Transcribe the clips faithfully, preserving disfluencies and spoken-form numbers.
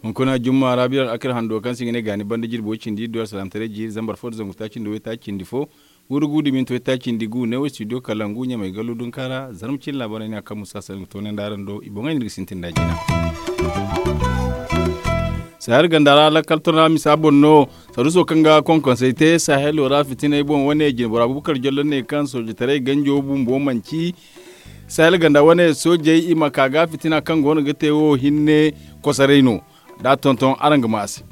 Hunkuna jumma ra biran akar hando kaŋ se i ga ne gaani banda jirbi way cindi iddu alsalaamataray jiiri zambar fo nda zangu taaci nda waytaaci cindi fo. Wurgu da minti waytaaci cindi gu ne wo studio kalangu ɲamay gallu dunka ra zarma cine laabaarey no ya kaŋ musa sanda ga toonandi araŋ do i boŋey no iri ga sintin nd'a jina. Sahel ganda ra lakkal torna misa boŋ no. Saruuso kaŋ ga konkonsey te sahelo ra fitiney boŋ wane jine bora bubakar jollo ne kaŋ soojetaray ganjo bumbo manci sahel ganda wane soojey i ma ka ga fitina kaŋ go no ga te wo hinne kosoray no. Da tonton araŋ ga ma a se.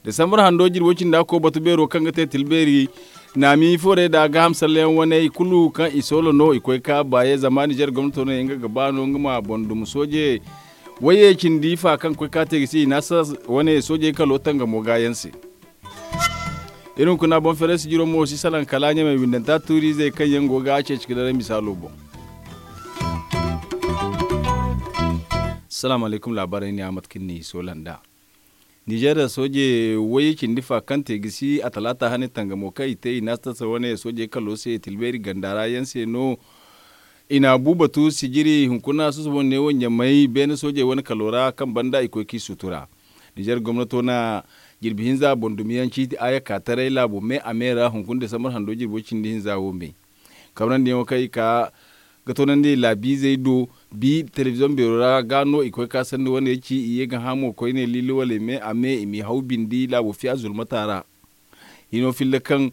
Desambar hando jirbo cindi a ko batu beero kaŋ ga te tilbeeri naami foorey da gaaham sallayaŋ waney kulu kaŋ i soola no i koy ka baaye zama nizer gomnato no yaŋ ga gaba no nga ma boŋ dum sooje. Wayye cindi fa kaŋ koy ka te ga si i naasa wane soojey kalo tangamo gaayaŋ se. Iri hunkuna boŋ fereesi jiro mo si salaŋ kala ɲamay windanta tuuriizey kaŋ yaŋ go ga a ceeci ga daray misaalo boŋ. Salaamu alaykum laabaarey ne a mate kaŋ ni soola nd'a. Nizer sooje wayye cindi fa kaŋ te ga si a talaata hane tangamo kaŋ i te i naasa tasa wane soojey kalo se tilbeeri ganda ra yaŋ se no. I na bu batu sijiri hunkuna susubo ne wo ɲamay beene soojey wane kalo ra kaŋ banda i koy k'i sutura. Nizer gomnato na jirbi hinza boŋ dumiyaŋ ciiti aaya ka taray laabo me a me ra hunkuna desambar hando jirbo cindi hinza wo me. Kabrandi yaŋo kaŋ i ka ga toonandi laabiizey do bi telebiziyoŋ beero ra ga no i koy ka sanda wane ci i ye ga hamo koyne liili wala i me a me i m'i haw bindi laabo fiya zulmata ra. Hino filla kaŋ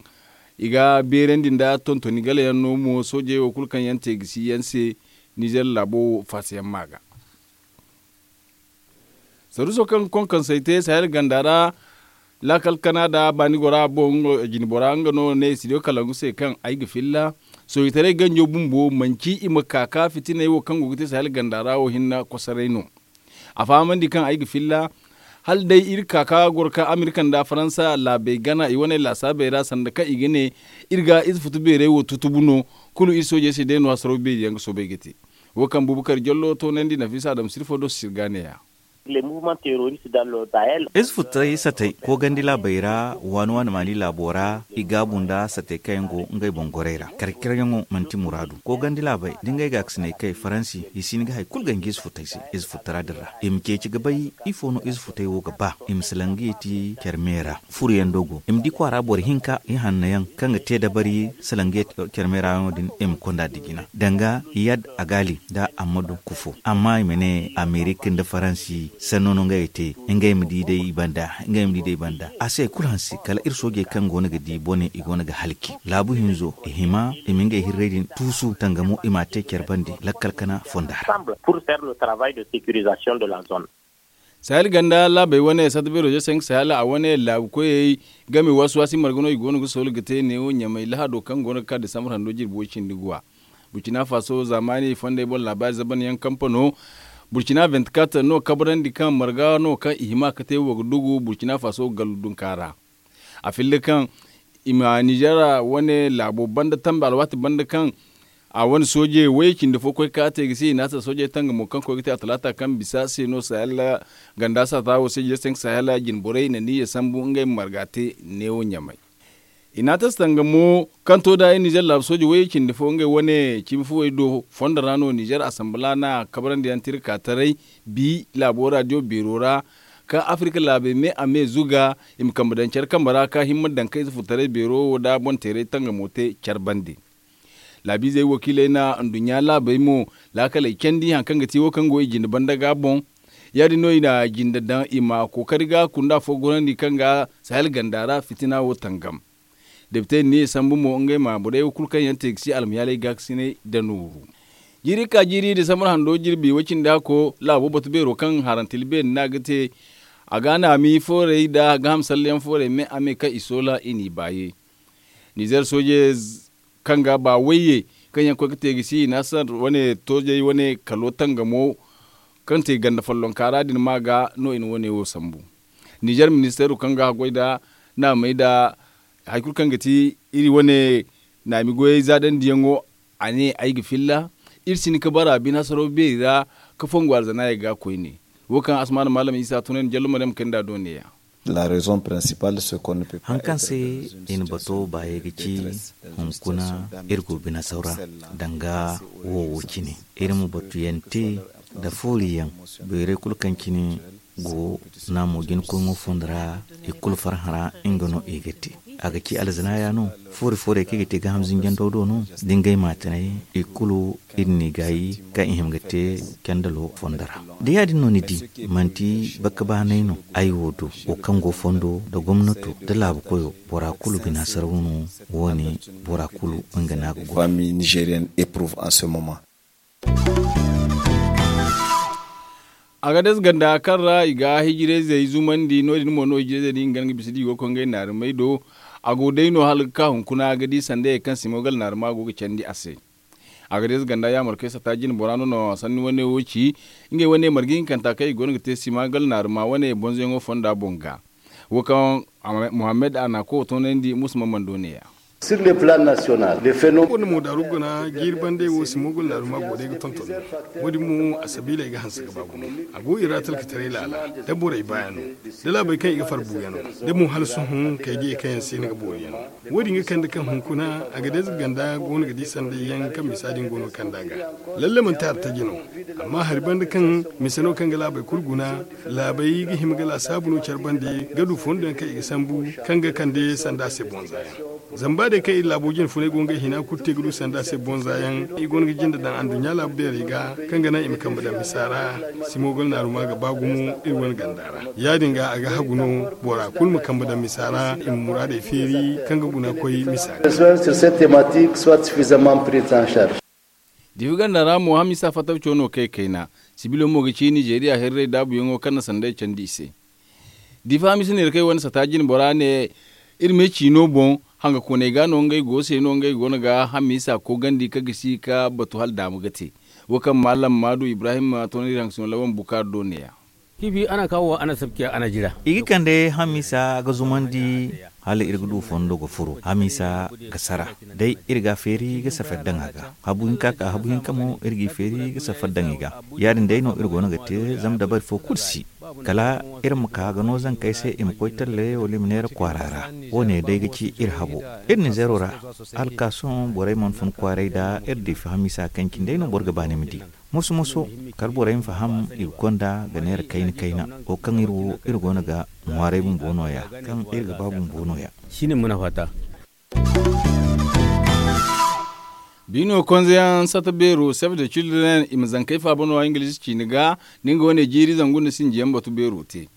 i ga beerandi nda tontoni gala yaŋ no mo soojey wo kulu kaŋ yaŋ te ga si yaŋ se. Nizer laabo faasa yaŋ ma ga saruuso kaŋ ga konkonsey te sahel ganda ra laakal kana da baani gora boŋ jine bora nga no ne studio kalangu se kaŋ ay ga filla. Soojitaray ganjo bumbo manci i ma ka ka fitiney wo kaŋ go ga te sahel ganda ra wo hinne kosoray no. A fahamandi kaŋ ay ga filla hala day iri ka ka goro ka amerika nda faransa laabey gana i wane laasaabey ra sanda kaŋ i ga ne iri ga ize futu beerey wo tutubu no. Kulu iri soojey se day no hasaraw beeri yaŋ ga soobay ga te. Wo kaŋ bubakar jallo toonandi nafisa adama sirfo do sirga neeya. Ize fututaray satey koogandi laabey ra waani waani maali laabo ra i gaabu nda satey kaŋ yaŋ go ngey boŋ gorey ra kar-karyaŋo manti muraadu. Koogandi laabey da ngey gaakasiney kay faransi i si hin ga hari kulu ganji ize fututaray se. Ize fututara din ra i ma ceeci ga bay ifo no ize fututaray wo ga ba i ma salaŋ ga yeeti care me ra. Furuyaŋ do go i ma di kwaara boro hinka ihanno yaŋ kaŋ ga te dabari salaŋ ga yeeti care me ra no din i ma konda dijina danga yad agaali nda ammadu kufo amma i ma ne amerika nda faransi sanno no ngey ga te. Ngey ma di day i banda ngey ma di day i banda a se kulu hanse kala iri soojey kaŋ go no ga di bone i go no ga halci laabu hinzo i hima i ma ngey hirray din tuusu tangamo i m'a te care bande lakkal kana fonda ra. Sahel ganda laabey wane sata beero jese nga sahel a wane laabu koyey game waasi waasi marga no i go no ga soolu ga te neewo ɲamay lahado kaŋ go no ga ka desambar hando jirbi way cindi guwa. Burcina faso zaamaani fondey boŋ laabaari zaban yaŋ kampano burcina vingt-quatre no kabrandi kaŋ marga no kaŋ i hima ga te wo ga dugu burcina faso gallu dunka ra. A filla kaŋ i ma nizer wane laabo banda tambe alwaati banda kaŋ a wane sooje way cindi fo koy ka te ga se i naasa soojey tangamo kaŋ koy ga te a talaata kaŋ bisa se no sahel ganda saata wo se jeste nga sahel jinborey na niyya sambu ngey ma marga te neewo ɲamay. I na a tasta nga mo kaŋ to da i nizer laabu sooje wayey cindi fo ngey wane cimi fuwey do fondo ra no nizer asambala na kabrandi yaŋ tira ka taray bi laabo radiyo beero ra kaŋ afirika laabey me a me zuga i ma kambe daŋ care kambe ra ka himma daŋ kaŋ ize furtaray beero wo da boŋ teeray tangamo te care bande. Laabiizey wakiiley na nduɲɲa laabey mo laakaley candi hari kaŋ ga ti wo kaŋ go i jinde banda ga boŋ. Ya- din no i na jinde daŋ i ma kookari ga kunda fo gorandi kaŋ ga sahel ganda ra fitina wo tangam. Depite ni sambu mo ngey ma borey wo kulu kaŋ yaŋ te ga si almayaaley gaakasiney da nooru. Jiiri ka jiiri desambar hando jirbi way cindi hako laabo batu beero kaŋ harantil beeri no a ga te. A ga naami foorey nda gaaham sallayaŋ foorey me a me kaŋ i soola i n'i baaye. Nizer sooje kaŋ ga ba wayye kaŋ yaŋ koy ga te ga si i naasar wane toojey wane kalo tangamo kaŋ te ganda follonka ra din ma ga no i na wane wo sambu. Nizer ministeero kaŋ ga haggoy nda naamey nda hari kulu kaŋ ga ti iri wane naami goyey zaadandiyaŋo. A ne ay ga filla iri si hin ga bara bine hasaraw beeri ra ka fongu alzanaayey ga koyne. Wo kaŋ asmaana maalam isa tunandi jallo maryam kay nd'a do neeya. La raison principale se qu'on ne peut pas haŋ kaŋ se i na bato baayey ga ci hunkuna iri go bina saura danga wo wo cine iri ma batuyaŋ te nda fooriyaŋ beeray kulu kaŋ cine go naamo jina koyŋo fondo ra i kulu farhã ra nga no i ga te a ga ci alzanaaya no foori foorey kaŋ i ga te gaaham zinjandaw do no da ngey maatinay i kulu iri n'i gaayi kaŋ i hima ga te candalo fondo ra da ya- din no ni di manti bakka baanay no ay wo do wo kaŋ go fondo nda gomnato nda laabu koyo bora kulu bina saraw no wo- ne bora kulu nga no a ga goy. Agades ganda kaŋ ra i ga hijirayzey zumandi no- din mo no hijirayzey din ga bisa da i go ga koy ngey naarumey do. A go day no hala ga ka hunkuna ga di sandayey kaŋ simogal naaruma go ga candi a se. Agades ganda yaamarkey sata jine bora no no sanni wane wo ci ngey wane marga hinkanta kaŋ i go no ga te simogal naaruma wane bonzoyaŋo fonda boŋ ga. Wo kaŋ muhammad a na a koy ga toonandi musa mammando ne- ya. Sir le plan national le feno. Wane mo daaru guna jiiri bandey wo si moogol naaruma go day ga tonton. Wo- din mo a sabiiley ga hanse ga ba gumo. A go i ra talkataray laala da borey baayano da laabey kaŋ i ga far buuyano da mo hala sohõ kay diyey kaŋ yaŋ se ni ga booriyano. Wo- din ga kande kaŋ hunkuna a ga day za ganda go no ga di sanday yaŋ kaŋ misa din go no ga kande a ga. Lalle manti hari taji no. Amma hari banda kaŋ mise no kaŋ ga laabey kulu guna laabey ga hima ga laasaabu no care bande ga du fondo yaŋ kaŋ i ga sambu kaŋ ga kande sanda se bonza yaŋ. Zama ba day kaŋ iri laabo jine funay go ngey hina kulu te ga du sanda se bonza yaŋ i go no ga jinde daŋ anduɲɲa laabu beerey ga kaŋ ga naŋ i ma kambe daŋ misa ra. Simoogol naaruma ga ba gumo iri wane ganda ra. Ya- din ga a ga hagu no bora kulu ma kambe daŋ misa ra i ma muraadey feeri kaŋ ga guna koy misa ga. Difi ganda ra mo hamisa fattaw coono kay kayna. Sibilo mo ga ci nizeeriya hirray daabuyaŋo kaŋ na sanday candi i se. Difa hamisa neera kaŋ i wane sata jine bora ne iri me ciino boŋ hangakooney ga no ngey go se no ngey go no ga hamisa koogandi ka gisi ka batu hala daamu ga te. Wo kaŋ maalam maadu ibrahim toonandi iri hangasino lawan bukaari do ne- ya. I ga kande hamisa ga zumandi hala iri ga du fondo ga furo hamisa ga sara day iri ga a feeri ga safari daŋ a ga. Habu hinka ka habu hinka mo iri g'i feeri ga safari daŋ i ga. Ya- din day no iri go no ga te zama dabari fo kulu si kala iri ma ka ga no zankey se i ma koy talle wala i ma neera kwaara ra. Wo- ne day ga ci iri habo iri na zeero ra. Hala ka sohõ borey mana fun kwaaray nda iri diifi hamisa kaŋ cine day no boro ga ba ni ma di. Moso moso kala borey ma faham i ga konda ga neera kayna kayna wo kaŋ iri wo iri go no ga ŋwaaray bumbo no- ya kaŋ iri ga ba bumbo no- ya. Biino konzeyaŋ sata beero save de cildren i ma zankey faaba no- ya ingilizi ciine ga. Nda nga wane jiiri zangu nda sinjiyaŋ batu beero te.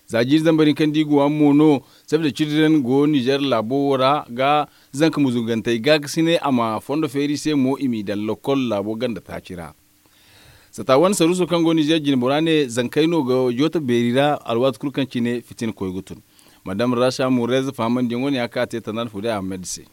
Za jiiri zambar din kaŋ da i go a mo no save de cildren go nizer laabo wo ra ga zanka muzugantey gaakasinay a ma fondo feeri se mo i m'i daŋ lokol laabo ganda taaci ra. Sata wane saruuso kaŋ go nizer jine bora ne zankey no ga jooto beeri ra alwaati kulu kaŋ cine fitina koy ga tun. Madam rasa murez fahamandiyaŋo ne a ka te tanaana fuuday ahmed se.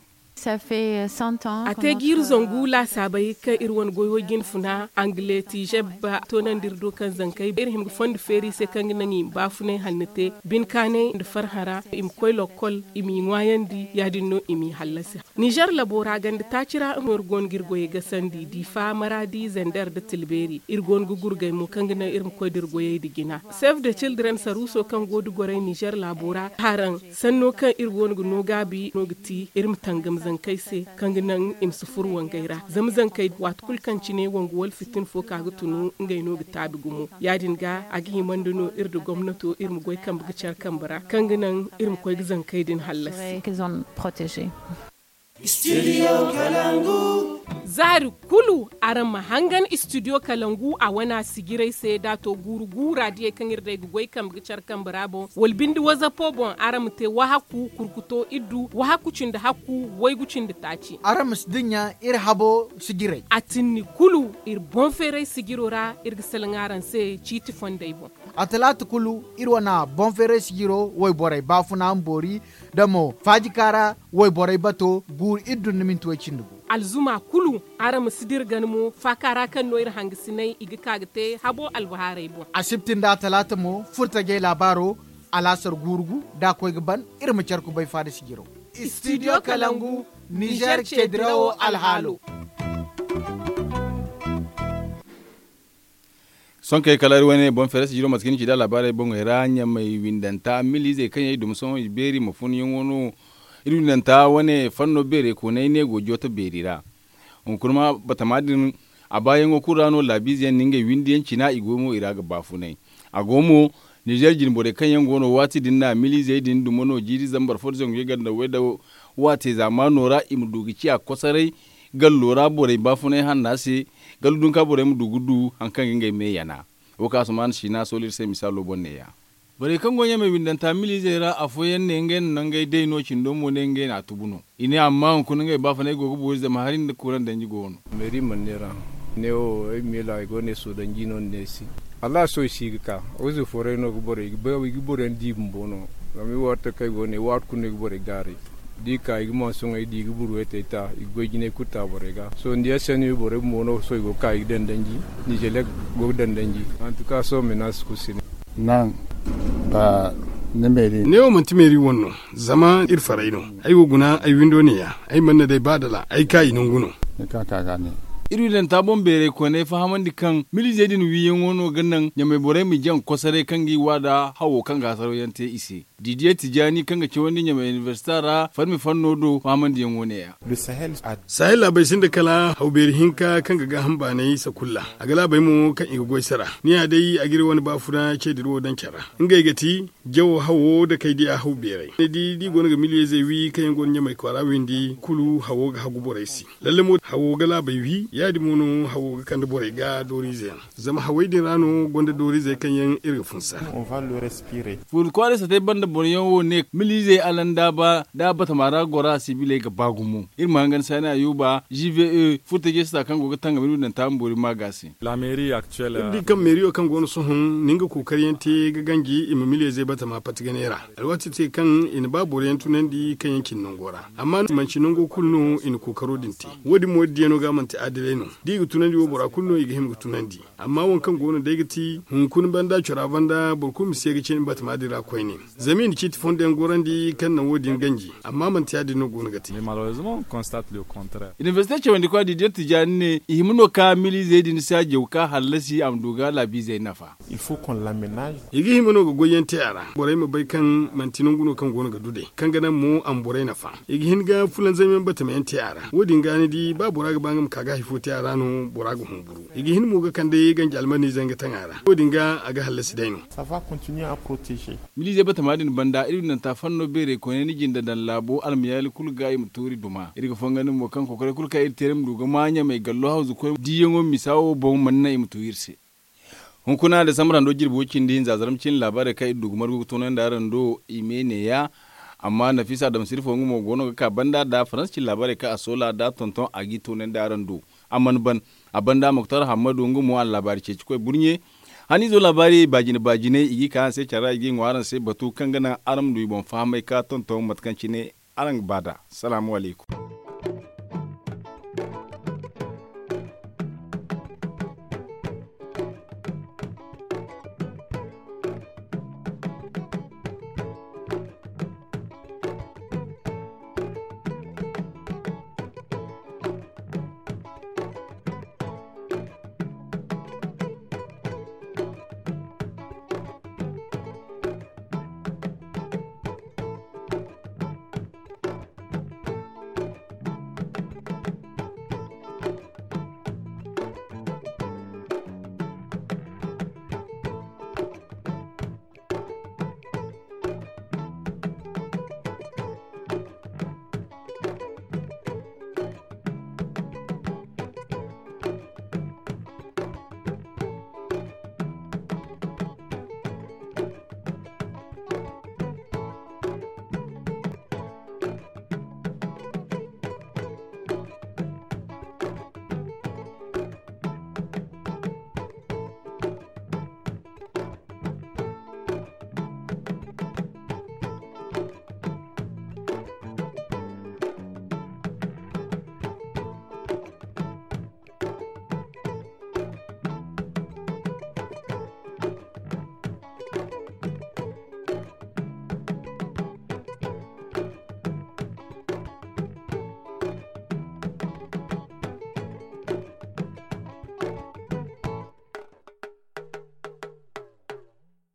A te jiiri zangu laasaabey kaŋ iri wane goyo jine funa angle tiizeb ba toonandi iri do kaŋ zankey iri hima ga fondo feeri se kaŋ ga naŋ i ma baafunay hanno te bine kaanay nda farhã ra i ma koy lokkol i m'i ŋwaayandi ya- din no i m'i hallasi. Nizer labo ra ganda taaci ra no iri go no ga iri goyey gasandi diifa maraadi zender nda tilbeeri iri go no ga gurgay mo kaŋ ga naŋ iri ma koy da iri goyey nda jina. Save de cildren saruuso kaŋ go nda gorey nizer laabo ra haraŋ sanno kaŋ iri go no ga no gaabi no ga ti iri ma tangam zankey se kaŋ ga naŋ i ma si furo wangey ra zama zankey waati kulu kaŋ cine wangu wala fitina fo ka ga tunu ngey no ga taabi gumo. Ya- din ga a ga himandi no iri nda gomnato iri ma goy kambe ga care kambe ra kaŋ ga naŋ iri ma koy ga zankey din hallasi. Zaari kulu araŋ ma hangan istidiyo kalangu a wana sijiray se da a to guuru guura diyey kaŋ iri day ga goy kambe ga care kambe ra boŋ wala binde wazapo boŋ araŋ ma te wahakku kurkuto iddu wahakku cindi hakku waygu cindi taaci. Araŋ ma si dinya iri habo sijiray. A tinni kulu iri boŋ feeray sijiro ra iri ga salaŋ araŋ se ciiti fondey boŋ. A talaata kulu iri wana boŋ feeray sijiro wayborey baafuna ma boori da mo faajika ra wayborey bato guuru iri dun ni minti way cindi gu. Alzuma kulu araŋ ma si dira gana mo faaka ra kaŋ no iri hangasinay i ga ka ga te habo albahaarey boŋ. Asibti nda atalaata mo furtajey laabaaro alaasar guuru gu da a koy ga ban iri ma care kubay faada sijiro. Istidiyo kalangu nizer ce dirawo alhaalo. Sonkey kala iri wane boŋ feere sijiro mate kaŋ ni ci da laabaarey boŋey ra ɲamey windanta miliizey kaŋ yaŋ i duma sohõ i beeri ma fun yaŋo no. Iri windanta wane fanno beerey koonay ne go jooto beeri ra. Hunkuna ma batama din a baayaŋo kulu ra no laabiize yaŋ na ngey windi yaŋ cina i go mo i ra ga baafunay. A go mo, nizeer jine borey kaŋ yaŋ go no waati din na miliizey din duma no jiiri zambar fo da zangu yaganda way da waate zaamaano ra i ma du ga ciya kosoray gallo ra borey baafunay hanna se. Gallu dunka borey ma du ga du hari kaŋ ga ngey me yana. Wo kaŋ a si ma a na siina sooli iri se misaalo boŋ neeya. Borey kaŋ go ɲamey windanta miliizey ra afooyaŋ ne ngey na nangey day no cindo mo ne ngey na a tubu no. I ne amma hunkuna ngey baafunay go ga boori zama hari nda kuran danji go no. Meeri mana neera. Ne wo ay meela ay go ne soodanji no ni ne si. Alla sohõ i si ga ka. Wayze fooray no ga borey ga bay i ga boroyaŋ di bumbo no. Zama i waati taŋ kaŋ ay go ne waati kulu no i ga borey gaaray. Da i ka i ga mansoŋey di i ga burwey te ta i ga goy jinay kulu ta borey ga sohõ ni yaŋ se no i borey bumbo no sohõ i go ga ka i ga dandanji. Nizelek go ga dandanji. Antuka sohõ menaasi kulu si ne. Naŋ ba ni meeri. Ne wo manti meeri wane no. Zama iri faray no. Ay wo guna ay windo neeya. Ay mana ne day ba dala ay ka i nangu no. Ni ka ka ga ne. Iri windanta boŋ beeray koonay fahamandi kaŋ miliizey din wiiyaŋo no ga naŋ ɲamey borey ma jaŋ kosoray kaŋ ga i wa da hawo kaŋ ga hasaraw yaŋ te i se. Didiye tijaani kaŋ ga cawandi ɲamey inibersita ra farmi fanno do fahamandiyaŋo neeya. Sahel laabey sinda kala haw beeri hinka kaŋ ga gaaham baanay sakulla. A ga laabey mo kaŋ i ga goy sara ni ya day a ga iri wane baafuna ce dira wo daŋ care ra. Ngey ga ti jawo hawo da kay diya haw beeray ni di da i go no ga miliyeezey wi kaŋ yaŋ go no ɲamey kwaara windi kulu hawo ga hagu borey se. Lalle mo hawo ga laabey wi ya- din mo no hawo ga kande borey ga dooriize yaŋ. Zama hawey din ra no gonda dooriizey kaŋ yaŋ iri ga funsa. Fuuri kwaaray satey banda boroyaŋ wo ne miliizey alandaaba da batama ra gora sibiley ga ba gumo. Iri ma hangan saani ayuba gve furtajey sata kaŋ go ga tangam iri windanta ma boori ma ga se. Iri di kaŋ meeriyo kaŋ go no sohõ na nga kookariyaŋ te ga ganji i ma miliyeezey batama pati ganey ra. Alwaati te kaŋ i na ba boroyaŋ tunandi kaŋ yaŋ cine nango ra. Amma manci nango kulu no i na kookaro din te. Wo- din mo da diyano ga manti adilay no. Da i ga tunandi wo bora kulu no i ga hima ga tunandi. Amma waŋ kaŋ go no day ga ti hunkuna banda cora banda boro kulu ma si ye ga cine batama din ra koyne. Zama i na ciiti fondo yaŋ gorandi kaŋ naŋ wo- din ganji. Amma manti ya- din no go no ga te. Inibersite cawandi kwa didiye tijaani ne i hima no ka miliizey din se a jaw ka hallasi a ma du ga laabiizey nafa. I ga hima no ga goyyaŋ te a ra borey ma bay kaŋ manti nangu no kaŋ go no ga du day kaŋ ga naŋ mo a ma borey nafa. I ga hin ga fulanzamyaŋ batamayaŋ te a ra wo- din ga ni di ba bora ga ba nga ma ka ga hari fo te a ra no bora ga humburu. I ga hin mo ga kande ganji almaniizey nga taŋ a ra wo- din ga a ga hallasi day no. Miliizey batama din banda iri windanta fanno beerey koyne ni jinde daŋ laabo almayaali kulu ga i ma tuuri duma iri ga fongandi mo kaŋ kokoray kulu kaŋ iri te iri ma du ga ma ɲamey gallo hawzu koy diiyaŋo misa wo boŋ mana naŋ i ma tu iri se. Hunkuna desambar hando jirbi wo cindi hinza zarma cine laabaarey kaŋ iri du ga margu ga toonandi araŋ do i me neeya. Amma nafiisa adama sirifo nga mo go no ga ka banda da faransa cine laabaarey kaŋ a soola da tonton a g'i toonandi araŋ do. A mana ban a banda muktar hammadu nga mo a na laabaari ceeci koy burɲe. Haniizo laabaari baajine baajiney i g'i ka araŋ se care ra i g'i ŋwa araŋ se batu kaŋ ga naŋ araŋ ma du i boŋ fahamay ka tonton mate kaŋ cine araŋ ga ba nd'a. Salaamu alaykum.